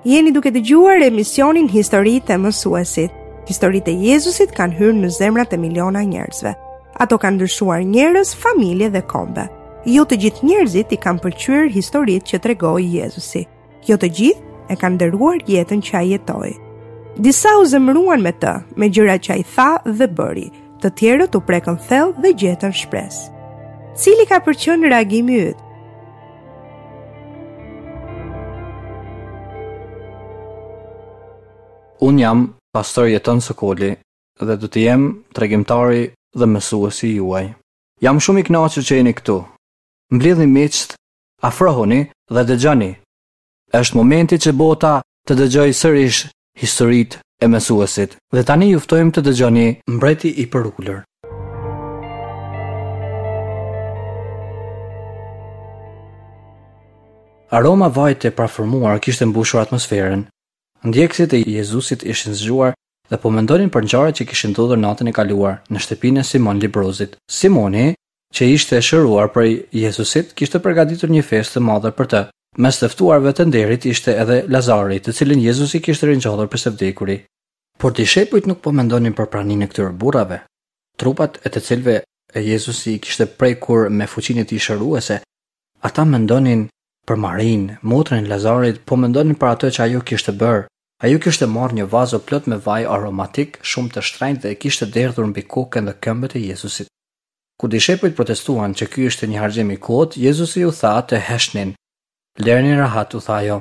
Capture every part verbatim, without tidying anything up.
Jeni duke dëgjuar emisionin Historitë e Mësuesit. Historitë e Jezusit kanë hyrë në zemrat e miliona njerëzve. Ato kanë ndryshuar njerëz, familje dhe kombe. Jo të gjithë njerëzit i kanë pëlqyer historitë që tregoi Jezusi. Jo të gjithë e kanë nderuar jetën që ai jetoi. Disa u zemëruan me të, me gjërat që ai tha dhe bëri. Të tjerët u prekën thellë dhe gjetën shpresë. Cili ka për qenë reagimi yt? Unë jam pastor Jeton Sokoli dhe do të jem tregimtari dhe mësuesi juaj. Jam shumë i kënaqur që jeni këtu. Mblidhni miqtë, afrohuni dhe dëgjoni. Është momenti që bota të dëgjojë sërish historitë e mësuesit. Dhe tani ju ftojmë të dëgjoni Mbreti i Përulur. Aroma vajit e parfumuar kishte mbushur atmosferën. Ndjekësit e Jezusit ishin zgjuar dhe po mendonin për ngjarjet që kishin ndodhur natën e kaluar në shtëpinë e Simon Lebrozit. Simoni, që ishte shëruar prej Jezusit, kishte përgatitur një festë të madhe për të. Mes të ftuarve të nderit ishte edhe Lazari, të cilin Jezusi kishte ringjallur për së vdekuri. Por dishepujt nuk po mendonin për praninë e këtyre burrave, trupat e të cilëve Jezusi i kishte prekur me fuqinë e tij shëruese. Ata mendonin për Marinë, motrën e Lazarit, po mendonin për atë që ajo kishte bërë. Ajo kishte marrë një vazo plot me vaj aromatik shumë të shtrenjtë dhe e kishte derdhur mbi kokën dhe këmbët e Jezusit. Kur dishepujt protestuan që ky ishte një harxhim i kotë, Jezusi u tha të heshtnin. Lëreni rahat, u tha ajo.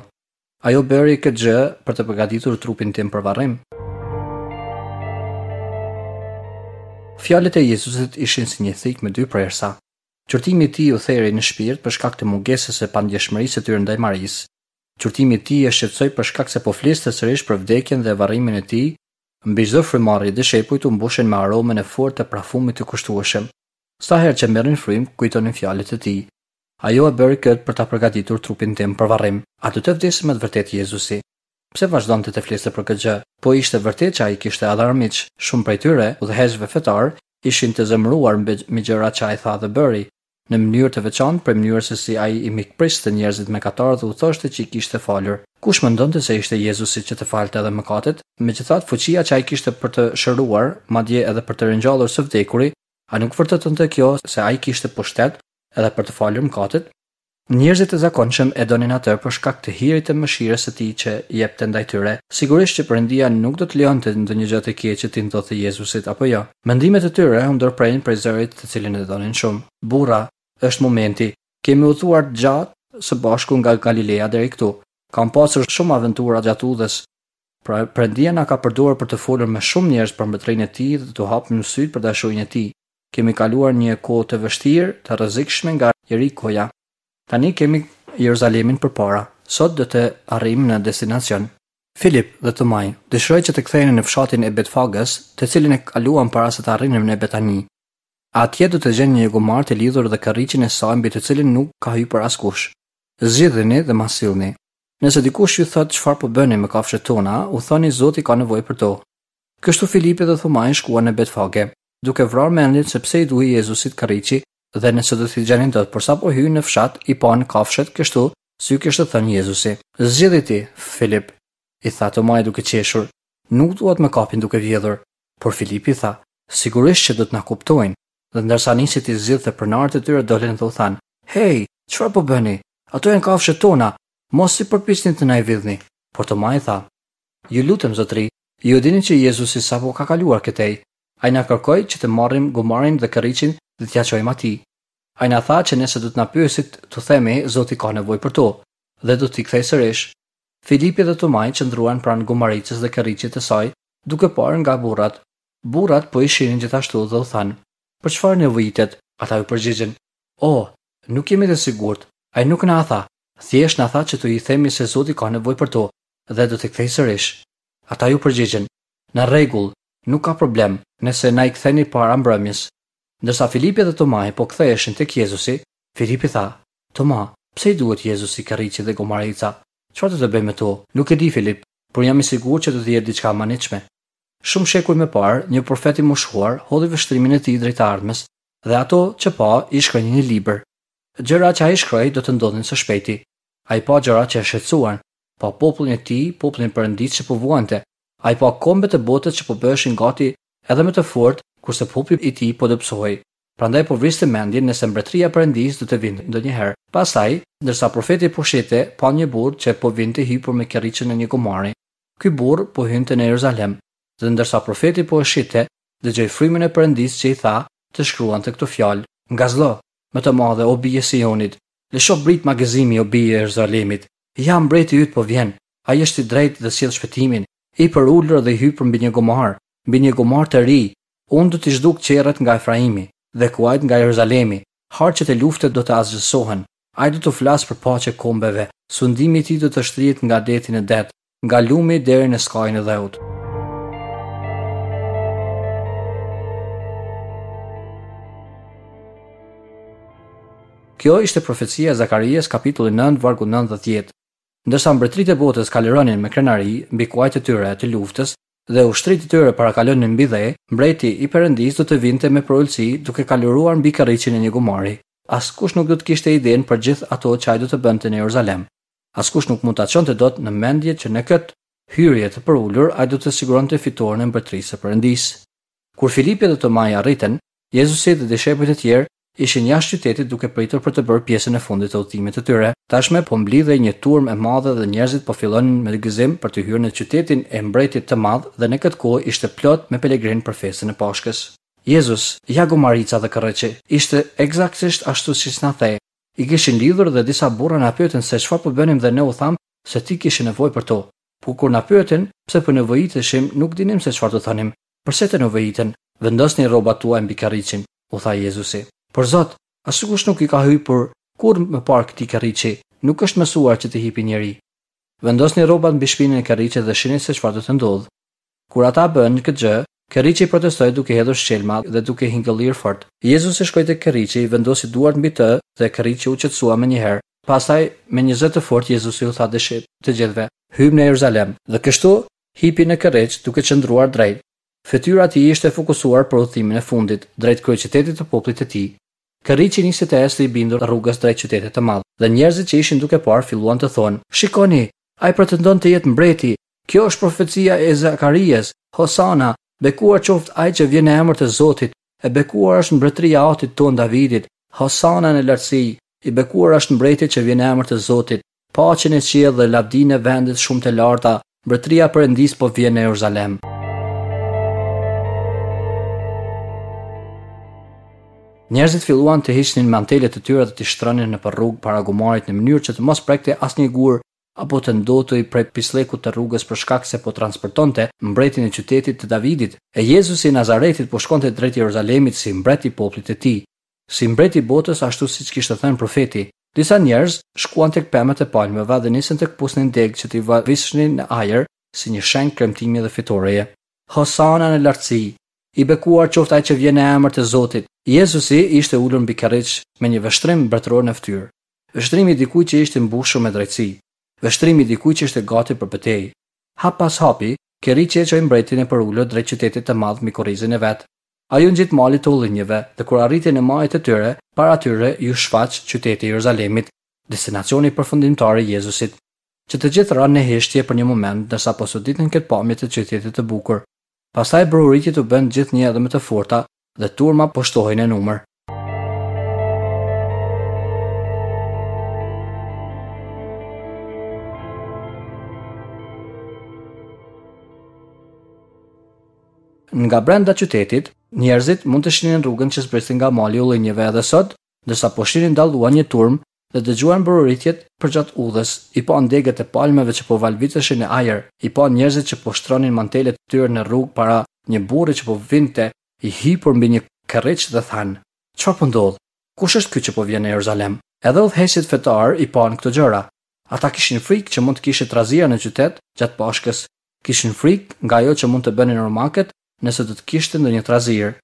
Ajo bëri këtë gjë për të përgatitur trupin tim për varrim. Fjalët e Jezusit ishin si një thikë me dy prersa. Qortimi i tij u theri në shpirt për shkak të mungesës së pandjeshmërisë së tyre ndaj Marisë. Qortimi i tij e shqetësoi për shkak se po fliste sërish për vdekjen dhe varrimin e tij. Mbi çdo frymëmarrje dishepujt u mbushën me aromën e fortë të parfumit të kushtueshëm. Sa herë që merrin frymë, kujtonin fjalët e tij. Ajo e bëri këtë për ta përgatitur trupin tim për varrim. A do të vdesë me të vërtetë Jezusi? Pse vazhdonte të fliste për këtë gjë? Po ishte vërtet që ai kishte edhe armiq. Shumë prej tyre, udhëheqësve fetar, ishin të zemëruar me gjërat që ai tha dhe bëri. Në mënyrë të veçantë për mënyrën se si ai i mikpriste njerëzit mëkatarë dhe u thoshte që i kishte falur. Kush mendonte se ishte Jezusi që të falte edhe mëkatet? Megjithatë, fuqia që ai kishte për të shëruar, madje edhe për të ringjallur së vdekuri, a nuk vërtetonte kjo se ai kishte pushtet edhe për të falur mëkatet? Njerëzit e zakonshëm e donin atë për shkak të hirit të mëshirës së tij që jepte ndaj tyre. Sigurisht që Perëndia nuk do të lejonte ndonjë gjë të keqe të ndodhte Jezusit apo jo. Mendimet e tyre u ndërprenë prej zërit të cilin e donin shumë. Burra, është momenti. Kemi udhëtuar gjatë së bashku nga Galilea deri këtu. Kam pasur shumë aventura gjatë udhës. Pra, Perëndia na ka përdorur për të folur me shumë njerëz për mbretërinë e tij dhe të hapur sytë për dashurinë e tij. Kemi kaluar një kohë të vështirë, të rrezikshme nga Jerikoja. Tani kemi Jeruzalemin përpara. Sot do të arrijmë në destinacion. Filip dhe Tomai dëshiroi që të ktheheshin në fshatin e Betfagës, të cilin e kaluan para se të arrinin në Betani. Atje do të gjenin një gomar të lidhur dhe karriqin e saj mbi të cilin nuk ka hyrë askush. Zgjidheni dhe ma sillni. Nëse dikush ju thotë çfarë po bëni me kafshët tona, u thoni Zoti ka nevojë për to. Kështu Filipi dhe Thomai shkuan në Betfage, duke vrarë mendjen se pse i duhej Jezusit karriqi dhe nëse do t'i gjenin dot, por sapo hynë në fshat i panë kafshët kështu si ju kishte thënë Jezusi. Zgjidhi ti, Filip, i tha Tomai duke qeshur, nuk dua të më kapin duke vjedhur. Por Filipi tha, sigurisht që do të na kuptojnë. Dhe ndërsa nisi t'i zgjidhte pronarët e tyre dolën dhe u thanë, hej, çfarë po bëni? Ato janë kafshët tona, mos i përpiqni të na i vidhni. Por Tomai tha, ju lutem zotri, ju e dini që Jezusi sapo ka kaluar këtej. Ai na kërkoi që të marrim gomarin dhe karriqin dhe t'ia çojmë atij. Ai na tha që nëse do të na pyesit, t'u themi Zoti ka nevojë për to dhe do t'i kthej sërish. Filipi dhe Tomai qëndruan pranë gomaricës dhe karriqit të saj, duke parë nga burrat. Burrat po i shihnin gjithashtu dhe u thanë, për çfarë nevojitet? Ata u përgjigjën, "Oh, nuk jemi të sigurt. Ai nuk na tha. Thjesht na tha që t'u i themi se Zoti ka nevojë për to dhe do t'i kthej sërish." Ata ju përgjigjën, "Në rregull, nuk ka problem, nëse na i ktheni para mbrëmjes." Ndërsa Filipi dhe Tomai po ktheheshin tek Jezusi, Filipi tha, "Toma, pse i duhet Jezusi karriqi dhe gomarica? Çfarë do të bëj me to?" Nuk e di, Filip, por jam i sigurt që do të jetë diçka e mahnitshme. Shumë shekuj më parë, një profet i moshuar hodhi vështrimin e tij drejt ardhmes dhe ato që pa i shkroi në një libër. Gjëra që ai shkroi do të ndodhin së shpejti. Ai pa gjëra që e shqetësuan. Pa popullin e tij, popullin e Perëndisë që po vuante. Ai pa kombet e botës që po bëheshin gati edhe më të fortë, kurse populli i tij po dobësohej. Prandaj po vriste mendjen nëse mbretëria e Perëndisë do të vinte ndonjëherë. Pastaj, ndërsa profeti po shihte, pa një burrë që po vinte hipur me kerriçën e një gomari. Ky burrë po hynte në Jeruzalem, dhe ndërsa profeti po e shihte, dëgjoi frymën e Perëndisë që i tha të shkruante këto fjalë: Ngazlo, me të madhe o bijë e Sionit, lësho britma gëzimi o bijë e Jeruzalemit. Ja mbreti yt po vjen, ai është i drejtë dhe sjell shpëtimin, i përulur dhe i hipur mbi një gomar, mbi një gomar të ri. Unë do t'i zhduk qerret nga Efraimi dhe kuajt nga Jeruzalemi. Harqet e luftës do të asgjësohen. Ai do të flasë për paqe kombeve. Sundimi i tij do të shtrihet nga deti në det, nga lumi deri në skajin e dheut. Kjo ishte profecia e Zakarias kapitulli nëntë, vargu nëntë dhe dhjetë. Ndërsa mbretëritë e botës kalëronin me krenari mbi kuajt e tyre të luftës dhe ushtritë e tyre parakalonin mbi dhe, mbreti i Perëndisë do të vinte me përulësi duke kalëruar mbi karriqin e një gomari. Askush nuk do të kishte idenë për gjithë ato që ai do të bënte në Jeruzalem. Askush nuk mund ta çonte dot në mendje që në këtë hyrje të përulur ai do të siguronte fitoren e mbretërisë së Perëndisë. Kur Filipi dhe Tomai arritën, Jezusi dhe dishepujt e tjerë ishin jashtë qytetit duke pritur për të bërë pjesën e fundit të udhëtimit të tyre. Tashmë po mblidhej një turmë e madhe dhe njerëzit po fillonin me gëzim për të hyrë në qytetin e mbretit të madh dhe në këtë kohë ishte plot me pelegrin për festën e Pashkës. Jezus, ja gomarica dhe kërreçi, ishte eksaktësisht ashtu siç na the. I kishin lidhur dhe disa burra na pyetën se çfarë po bënim dhe ne u tham se ti kishe nevojë për to. Por kur na pyetën pse po nevojiteshim, nuk dinim se çfarë të thonim. Përse të nevojiten? Vendosni rrobat tuaj mbi karriqin, u tha Jezusi. Por Zot, askush nuk i ka hypur kurrë më parë këtij karriqi, nuk është mësuar që të hipi njeri. Vendosni rrobat mbi shpinën e karriqit dhe shihni se çfarë do të ndodhë. Kur ata bënë këtë gjë, karriqi protestoi duke hedhur shqelma dhe duke hingëllir fort. Jezusi shkoi tek karriqi, vendosi duart mbi të dhe karriqi u qetësua menjëherë. Pastaj, me një zë të fortë Jezusi u tha dëshit të gjithëve: "Hyjmë në Jeruzalem." Dhe kështu hipi në karriq duke qëndruar drejt. Fytyra e tij ishte fokusuar për udhëtimin e fundit drejt kryeqytetit të popullit të tij. Karriqi nisi të ecte i bindur rrugës drejt qytetit të madh, dhe njerëzit që ishin duke parë filluan të thonë: "Shikoni, ai pretendon të jetë mbreti. Kjo është profecia e Zakarias. Hosana, bekuar qoftë ai që vjen në emër të Zotit. E bekuar është mbretëria e atit ton Davidit. Hosana në lartësi. I bekuar është mbreti që vjen në emër të Zotit. Paqe në qiell dhe lavdinë e vendit shumë të larta. Mbretëria e Perëndisë po vjen në Jeruzalem." Njerëzit filluan të hiqnin mantelet e tyre dhe t'i shtronin nëpër rrugë para gomarit në mënyrë që të mos prekte asnjë gur apo të ndotej prej pislekut të rrugës për shkak se po transportonte mbretin e qytetit të Davidit. E Jezusi i Nazaretit po shkonte drejt Jeruzalemit si mbret i popullit të tij, si mbret i botës ashtu siç kishte thënë profeti. Disa njerëz shkuan tek pemët e palmeve dhe nisën të kpusnin degë që t'i vavisnin në ajër si një shenjë kremtimi dhe fitoreje. Hosana në lartësi, i bekuar qoftë ai që vjen në emër të Zotit. Jezusi ishte ulur mbi karriq me një vështrim mbretëror në fytyrë. Vështrimi i dikujt që ishte mbushur me drejtësi, vështrimi i dikujt që ishte gati për betejë. Hap pas hapi, karriqi e çoi mbretin e përulur drejt qytetit të madh mbi kurrizin e vet. Ai u ngjit malit të ullinjve dhe kur arriti në majë të tyre, para tyre ju shfaq qyteti i Jeruzalemit, destinacioni përfundimtar i Jezusit. Që të gjithë ranë në heshtje për një moment ndërsa po soditnin këtë pamje të qytetit të bukur. Pastaj brohoritjet u bënë gjithnjë edhe më të forta dhe turma po shtohej në numër. Nga brenda qytetit, njerëzit mund të shihnin rrugën që zbriste nga mali i ullinjve edhe sot, ndërsa po shihnin dalluan një turmë dhe dëgjuan brohoritjet përgjatë udhës, i panë degët e palmeve që po valviteshin në ajër, i panë njerëzit që po shtronin mantelet e tyre në rrugë para një burri që po vinte i hipur mbi një karriq dhe thanë: "Çfarë po ndodh? Kush është ky që po vjen në Jeruzalem?" Edhe udhëheqësit fetar i panë këto gjëra. Ata kishin frikë që mund të kishte trazira në qytet gjatë Pashkës. Kishin frikë nga ajo që mund të bënin romakët nëse do të kishte ndonjë trazirë.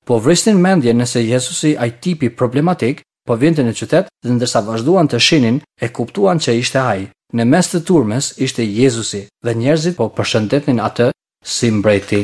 Po vrisnin mendjen nëse Jezusi, ai tipi problematik, po vinte në qytet dhe ndërsa vazhduan të shinin, e kuptuan që ishte ai. Në mes të turmës ishte Jezusi dhe njerëzit po përshëndetnin atë si mbreti.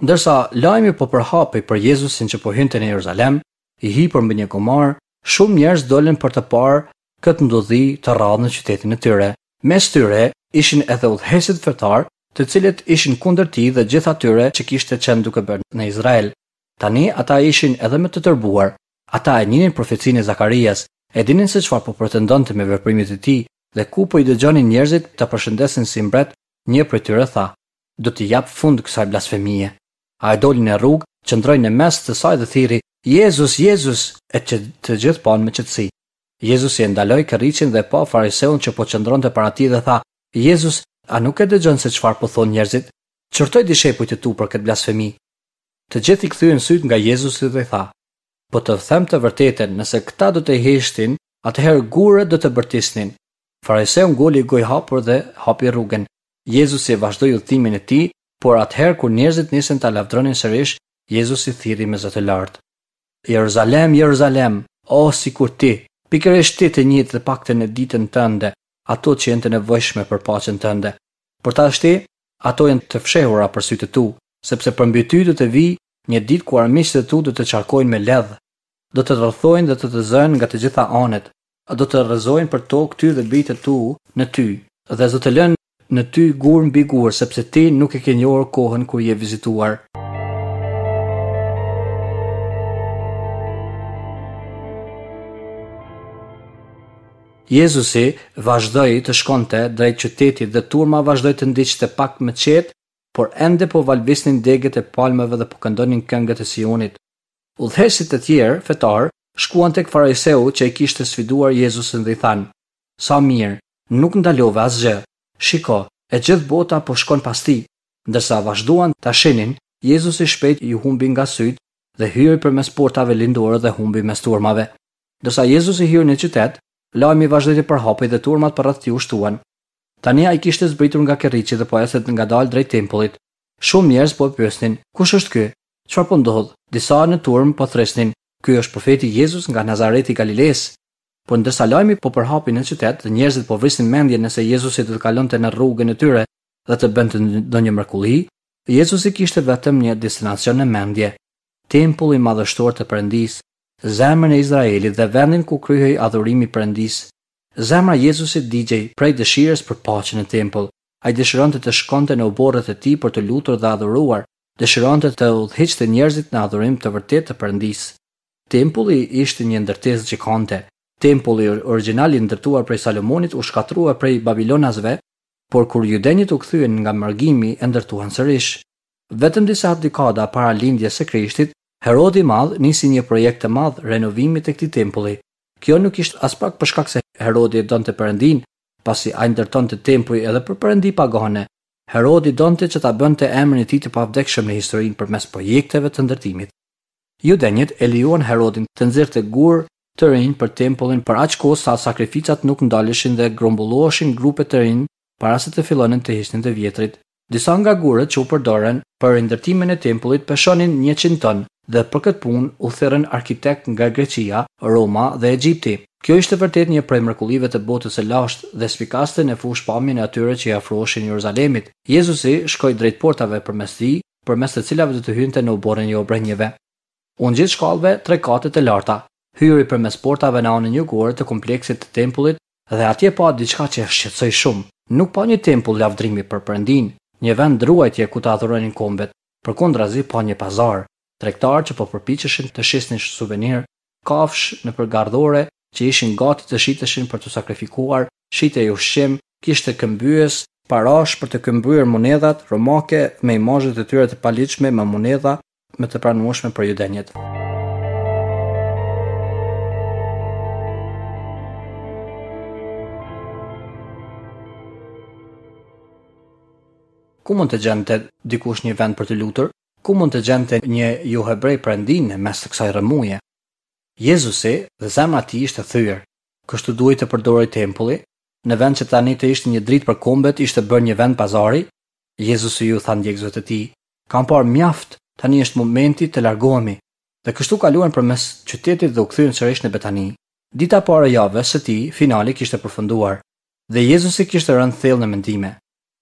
Ndërsa lajmi po përhapej për Jezusin që po hynte në Jeruzalem, i hipur mbi një gomar, shumë njerëz dolën për të parë këtë ndodhi të rrallë në qytetin e tyre. Mes tyre ishin edhe udhëheqësit fetar, të cilët ishin kundër tij dhe gjithë atyre që kishte qenë duke bërë në Izrael. Tani ata ishin edhe më të tërbuar. Ata e njihnin profecinë e Zakarias, e dinin se çfarë po pretendonte me veprimet e tij dhe ku po i dëgjonin njerëzit ta përshëndesin si mbret, një prej tyre tha: "Do t'i jap fund kësaj blasfemie." Ai doli në rrugë, qëndroi në mes të saj dhe thirri: "Jezus, Jezus!" E që të gjithë panë me qetësi. Jezusi e ndaloi kërriçin dhe pa fariseun që po qëndronte para tij dhe tha: "Jezus, a nuk e dëgjon se çfarë po thonë njerëzit? Qortoj dishepujt e tu për këtë blasfemi." Të gjithë i kthyen sytë nga Jezusi dhe tha: "Po të them të vërtetën, nëse këta do të heshtin, atëherë gurët do të bërtisnin." Fariseu ngoli gojë hapur dhe hapi rrugën. Jezusi vazhdoi udhëtimin e tij, por atëherë kur njerëzit nisën ta lavdronin sërish, Jezusi thirri me zë të lartë: "Jeruzalem, Jeruzalem, o sikur ti, pikërisht ti të njeh të paktën në ditën tënde, ato që janë të nevojshme për paqen tënde. Por tashti, ato janë të fshehura për sytë tu, sepse përmbi ty do të vijë një ditë ku armiqtë e tu do të qarkojnë me ledh, do të rrethojnë dhe të të zënë nga të gjitha anët, do të rrëzojnë për tokë ty dhe bijtë e tu në ty, dhe do të lënë në ty gur mbi gur, sepse ti nuk e ke njohur kohën kur je vizituar." Jezusi vazhdoi të shkonte drejt qytetit dhe turma vazhdoi të ndiqte pak më qetë, por ende po valvisnin degët e palmeve dhe po këndonin këngët e Sionit. Udhëheqësit e tjerë fetar shkuan tek fariseu që e kishte sfiduar Jezusin dhe i thanë: "Sa mirë, nuk ndalove asgjë. Shiko, e gjithë bota po shkon pas tij." Ndërsa vazhduan ta shihnin, Jezusi shpejt ju humbi nga sytë dhe hyri përmes portave lindore dhe humbi mes turmave. Ndërsa Jezusi hyri në qytet, lajmi vazhdoi të përhapej dhe turmat përreth tij u shtuan. Tani ai kishte zbritur nga kerriçi dhe po ecte ngadalë drejt tempullit. Shumë njerëz po e pyesnin: "Kush është ky? Çfarë po ndodh?" Disa në turmë po thresnin: "Ky është profeti Jezus nga Nazareti i Galilesë." Por ndërsa lajmi po përhapej në qytet dhe njerëzit po vrisnin mendjen nëse Jezusi do të kalonte në rrugën e tyre dhe të bënte ndonjë mrekulli, Jezusi kishte vetëm një destinacion në mendje: tempulli madhështor të Perëndisë, zemrën e Izraelit dhe vendin ku kryhej adhurimi i Perëndisë. Zemra e Jezusit digjej prej dëshirës për paqe në tempull. Ai dëshironte të shkonte në oborret e tij për të lutur dhe adhuruar, dëshironte të udhëhiqte njerëzit në adhurim të vërtetë të Perëndisë. Tempulli ishte një ndërtesë gjigante. Tempulli origjinal i ndërtuar prej Salomonit u shkatërrua prej Babilonasve, por kur judenjët u kthyen nga mërgimi e ndërtuan sërish. Vetëm disa dekada para lindjes së Krishtit, Herodi i Madh nisi një projekt të madh renovimi të këtij tempulli. Kjo nuk ishte as pak për shkak se Herodi e donte Perëndin, pasi ai ndërtonte tempuj edhe për perëndi pagane. Herodi donte që ta bënte emrin e tij të pavdekshëm në historinë përmes projekteve të ndërtimit. Judenjët e lejuan Herodin të nxirrte gur të rinj për tempullin për aq kohë sa sakrificat nuk ndaleshin dhe grumbulloheshin grupe të rinj para se të fillonin të hiqnin të vjetrit. Disa nga gurët që u përdorën për rindërtimin e tempullit peshonin njëqind ton dhe për këtë punë u thirrën arkitekt nga Greqia, Roma dhe Egjipti. Kjo ishte vërtet një prej mrekullive të botës së lashtë dhe spikaste në fushë pamjen e atyre që i afroheshin Jeruzalemit. Jezusi shkoi drejt portave përmes tij, përmes të cilave do të hynte në oborrin e obrenjeve. U ngjit shkallëve tre kate të larta, hyri përmes portave në anën jugore të kompleksit të tempullit dhe atje pa diçka që e shqetësoi shumë. Nuk pa një tempull lavdrimi për Perëndin, një vend ruajtje ku të adhuronin kombet, përkundrazi pa një pazar, tregtar që po përpiqeshin të shisnin suvenir, kafshë nëpër gardhore që ishin gati të shiteshin për të sakrifikuar, shitej ushqim, kishte këmbyes, parash për të këmbyer monedhat romake me imazhet e tyre të paligjshme me monedha më të pranueshme për judenjët. Ku mund të gjente dikush një vend për të lutur? Ku mund të gjente një jo hebrej Perëndin në mes të kësaj rrëmuje? Jezusi dhe zemra e tij ishte thyer. Kështu duhej të përdorej tempulli, në vend që tani të ishte një dritë për kombet, ishte bërë një vend pazari. Jezusi ju tha ndjekësve të tij: "Kam parë mjaft, tani është momenti të largohemi." Dhe kështu kaluan përmes qytetit dhe u kthyen sërish në Betani. Dita e parë e javës së tij finale kishte përfunduar dhe Jezusi kishte rënë thellë në mendime.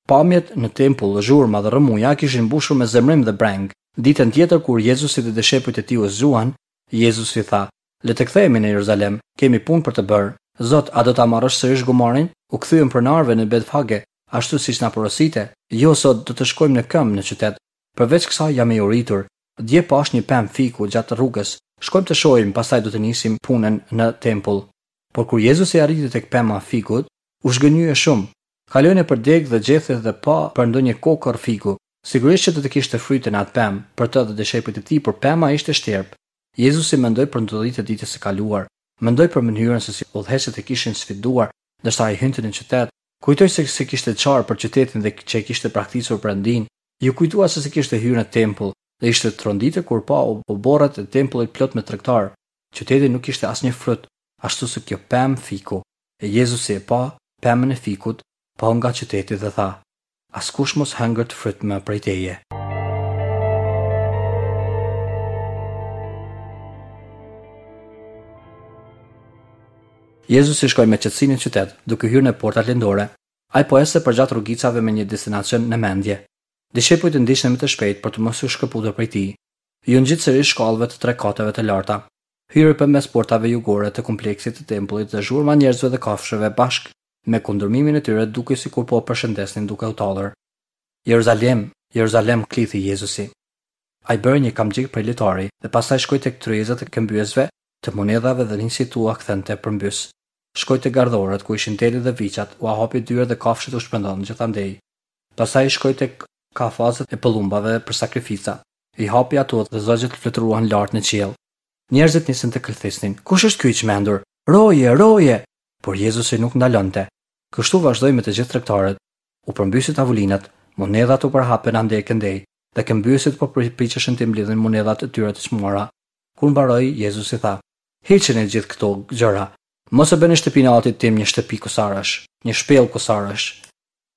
Pamjet në tempull, zhurma dhe rrëmuja kishin mbushur me zemrim dhe breng. Ditën tjetër kur Jezusi dhe dishepujt e tij u zgjuan, Jezusi tha: "Le të kthehemi në Jeruzalem, kemi punë për të bërë. Zot, a do ta marrësh sërish gomarin? U kthyem pronarëve në Betfage, ashtu siç na porosite. Jo, sot do të shkojmë në këmbë në qytet. Përveç kësaj jam i uritur. Dje pash një pemë fiku gjatë rrugës. Shkojmë të shohim, pastaj do të nisim punën në tempull." Por kur Jezusi arriti tek pema e fikut, u zhgënjye shumë. Kaloi nëpër degë dhe gjethe dhe pa për ndonjë kokërr fiku. Sigurisht që do të kishte fryte në atë pemë, për të dhe dishepujt e tij, por pema ishte shterp. Jezusi mendoi për ndodhitë e ditës së kaluar. Mendoi për mënyrën se si udhëheqësit e kishin sfiduar ndërsa ai hynte në qytet. Kujtoi se si kishte qarë për qytetin dhe që e kishte braktisur Perëndin. Ju kujtua se si kishte hyrë në tempull dhe ishte tronditur kur pa oborret e tempullit plot me tregtar. Qyteti nuk kishte asnjë frut, ashtu si kjo pemë fiku. E Jezusi e pa pemën e fikut, pa nga qyteti dhe tha: "Askush mos hëngërt fryt më prej teje." Jezusi shkoi me qetësi në qytet, duke hyrë në portat lindore. Ai po ecte përgjatë rrugicave me një destinacion në mendje. Dishepujt e ndiqnin me të shpejtë për të mos u shkëputur prej tij. Ju ngjit sërish shkallëve të tre kateve të larta. Hyri përmes portave jugore të kompleksit të tempullit dhe zhurma njerëzve dhe kafshëve bashkë me kundërmimin e tyre dukej sikur po përshëndesnin duke u tallur. Jeruzalem, Jeruzalem, klithi Jezusi. Ai bëri një kamxhik prej litari dhe pastaj shkoi tek tryezat e këmbyesve të monedhave dhe nisi t'ua kthente përmbys. Shkoi te gardhorët ku ishin delet dhe viçat, ua hapi dyert dhe kafshët u shpërndan gjithandej. Pastaj shkoi tek kafazët e pëllumbave për sakrifica. I hapi ato dhe zogjët fluturuan lart në qiell. Njerëzit nisën të këlthisnin. Kush është ky i çmendur? Roje, roje! Por Jezusi nuk ndalonte. Kështu vazhdoi me të gjithë tregtarët. U përmbysën tavolinat, monedhat u përhapën andej këndej dhe këmbyesit po përpiqeshin të mblidhin monedhat e tyre të çmuara. Kur mbaroi, Jezusi tha: "Hiqeni gjithë këto gjëra. Mos e bëni shtëpinë e atit tim një shtëpi kusarësh, një shpellë kusarësh."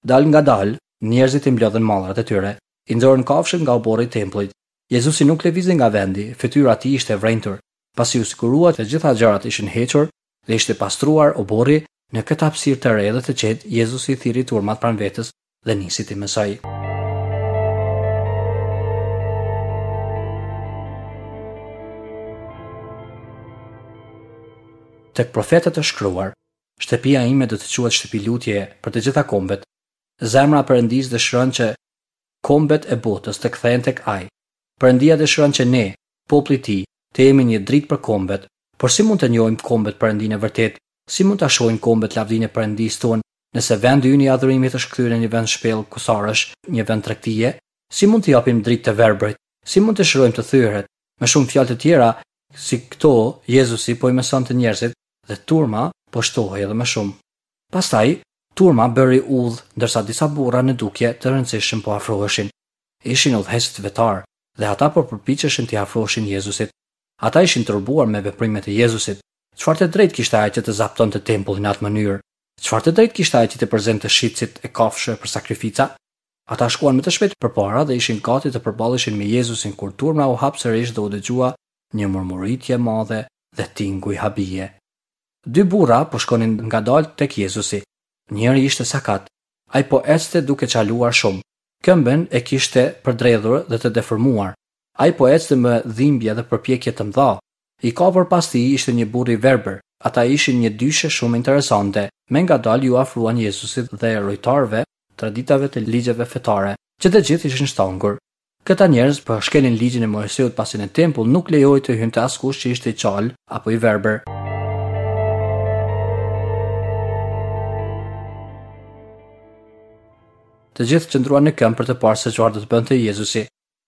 Dal nga dal, njerëzit i mblodhën mallrat e tyre, i nxorën kafshët nga oborri i tempullit. Jezusi nuk lëvizi nga vendi, fytyra e tij ishte e vrenjtur. Pasi u sigurua që të gjitha gjërat ishin hequr dhe ishte pastruar oborri, në këtë hapësirë të re dhe të qetë, Jezusi thirri turmat pranë vetes dhe nisi t'i mësoj. Tek profetët e shkruar, shtëpia ime do të quhet shtëpi lutjeje për të gjitha kombet. Zemra e Perëndisë dëshiron që kombet e botës të kthehen tek Ai. Perëndia dëshiron që ne, populli i tij, të jemi një dritë për kombet. Por si mund të njohim kombet Perëndinë e vërtetë? Si mund ta shohin kombet lavdinë e Perëndisë tonë, nëse vendi ynë i adhurimit është kthyer në një vend shpellë kusarësh, një vend tregtie? Si mund të japim dritë të verbrit? Si mund të shërojmë të thyeret? Me shumë fjalë të tjera, si këto, Jezusi po i mësonte njerëzit dhe turma po shtohej edhe më shumë. Pastaj, turma bëri udhë, ndërsa disa burra në dukje të rëndësishëm po afroheshin. Ishin udhëheqësit fetar dhe ata po përpiqeshin t'i afroheshin Jezusit. Ata ishin tërbuar me veprimet e Jezusit. Çfarë të drejtë kishte ai që të zaptonte tempullin në atë mënyrë? Çfarë të drejtë kishte ai që të përzente shitësit e kafshëve për sakrifica? Ata shkuan më të shpejt përpara dhe ishin gati të përballeshin me Jezusin kur turma u hap sërish dhe u dëgjua një murmuritje e madhe dhe tinguj habie. Dy burra po shkonin ngadalë tek Jezusi. Njëri ishte sakat. Ai po ecte duke çaluar shumë. Këmbën e kishte përdredhur dhe të deformuar. Ai po ecte me dhimbje dhe përpjekje të mëdha. I kapur pas tij ishte një burr i verbër. Ata ishin një dyshe shumë interesante. Me ngadalë ju afruan Jezusit dhe rojtarëve, traditave të ligjeve fetare, që të gjithë ishin shtangur. Këta njerëz po shkelin ligjin e Moiseut pasi në tempull nuk lejohej të hynte askush që ishte i çalë apo i verbër. Të gjithë qëndruan në këmbë për të parë se çfarë do të bënte Jezusi.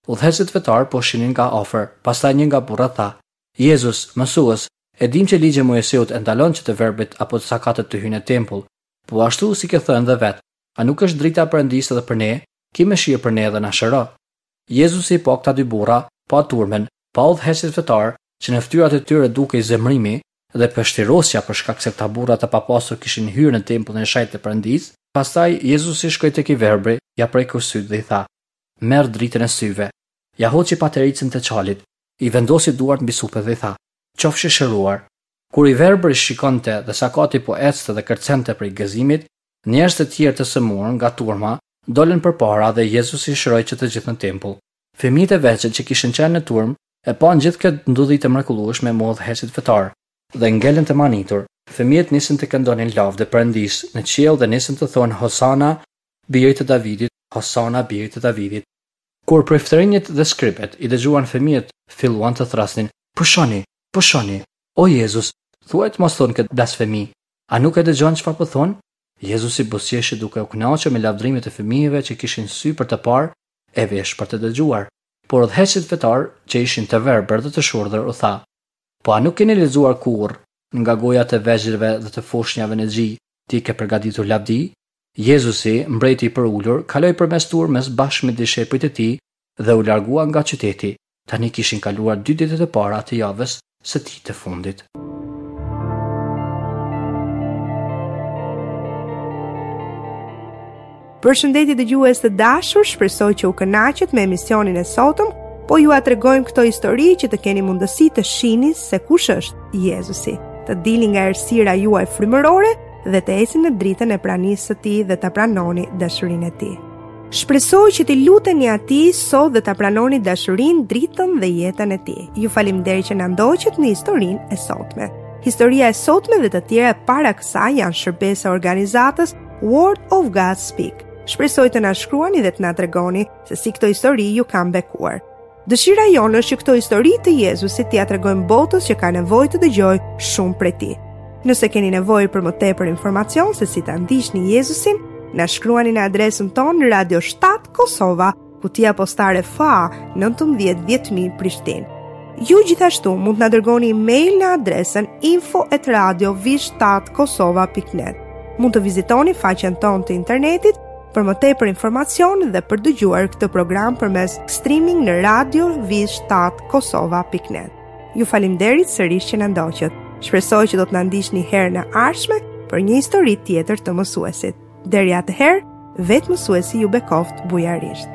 Udhëheqësit fetar po shihnin nga afër. Pastaj një nga burrat tha: "Jezus, mësues, e dim që ligji e Moiseut e ndalon që të verbrit apo të sakatët të hyjnë në tempull. Po ashtu si ke thënë dhe vet, a nuk është drita e Perëndisë edhe për ne? Ki mëshirë për ne dhe na shëro." Jezusi pa këta dy burra, pa turmën, pa udhëheqësit fetar, që në fytyrat e tyre dukej zemërimi dhe pështirosja për shkak se këta burra të papasur kishin hyrë në tempullin e shenjtë të Perëndisë. Pastaj Jezusi shkoi tek i verbri, ja preku sytë dhe i tha: "Merr dritën e syve." Ja hoqi patericën të çalit, i vendosi duart mbi supe dhe i tha: "Qofsh i shëruar." Kur i verbri shikonte dhe sakati po ecte dhe kërcente prej gëzimit, njerëz të tjerë të sëmurë nga turma dolën përpara dhe Jezusi shëroi që të gjithë në tempull. Fëmijët e vegjël që kishin qenë në turmë E panë gjithë këtë ndodhi të mrekullueshme me udhëheqësit fetar dhe ngelën të mahnitur. Fëmijët nisën të këndonin lavde Perëndisë në qiell dhe nisën të thonë Hosana, birit të Davidit, Hosana, birit të Davidit. Kur priftërinjtë dhe skribët i dëgjuan fëmijët, filluan të thërrasnin: "Pushoni, pushoni, o Jezus, thuaj të mos thonë këtë blasfemi. A nuk e dëgjon çfarë po thonë?" Jezusi buzëqeshi duke u kënaqur me lavdërimet e fëmijëve që kishin sy për të parë e vesh për të dëgjuar. Por udhëheqësit fetar, që ishin të verbër dhe të shurdhër, u tha: "Po a nuk keni lexuar kurrë nga goja të vegjëlve dhe të foshnjave në gji, ti ke përgatitur lavdi?" Jezusi, mbreti i përulur, kaloi përmes turmës bashkë me dishepujt e tij dhe u largua nga qyteti. Tani kishin kaluar dy ditët e para të javës së tij të fundit. Përshëndetje dëgjues të dashur, shpresoj që u kënaqët me emisionin e sotëm, po jua tregojmë këto histori që të keni mundësi të shihni se kush është Jezusi, të dilni nga errësira juaj frymërore dhe të ecni në dritën e pranisë së tij dhe ta pranoni dashurinë e tij. Shpresoj që t'i luteni atij sot dhe ta pranoni dashurinë, dritën dhe jetën e tij. Ju faleminderit që na ndoqët në historinë e sotme. Historia e sotme dhe të tjera para kësaj janë shërbesa e organizatës Word of God Speak. Shpresoj të na shkruani dhe të na tregoni se si këto histori ju kanë bekuar. Dëshira jonë është që këto histori të Jezusit t'ia tregojmë botës që ka nevojë të dëgjojë shumë prej tij. Nëse keni nevojë për më tepër informacion se si ta ndiqni Jezusin, na shkruani në adresën tonë Radio shtatë Kosova, kutia postare F A nëntëmbëdhjetë dhjetë mijë Prishtinë. Ju gjithashtu mund të na dërgoni email në adresën info at radio v shtatë kosova pikë net. Mund të vizitoni faqen tonë të internetit për më tepër informacion dhe për dëgjuar këtë program përmes streaming në radio v shtatë kosova pikë net. Ju faleminderit sërish që na ndoqët. Shpresoj që do të na ndiqni herën e ardhshme për një histori tjetër të mësuesit. Deri atëherë, vetë mësuesi ju bekoft bujarisht.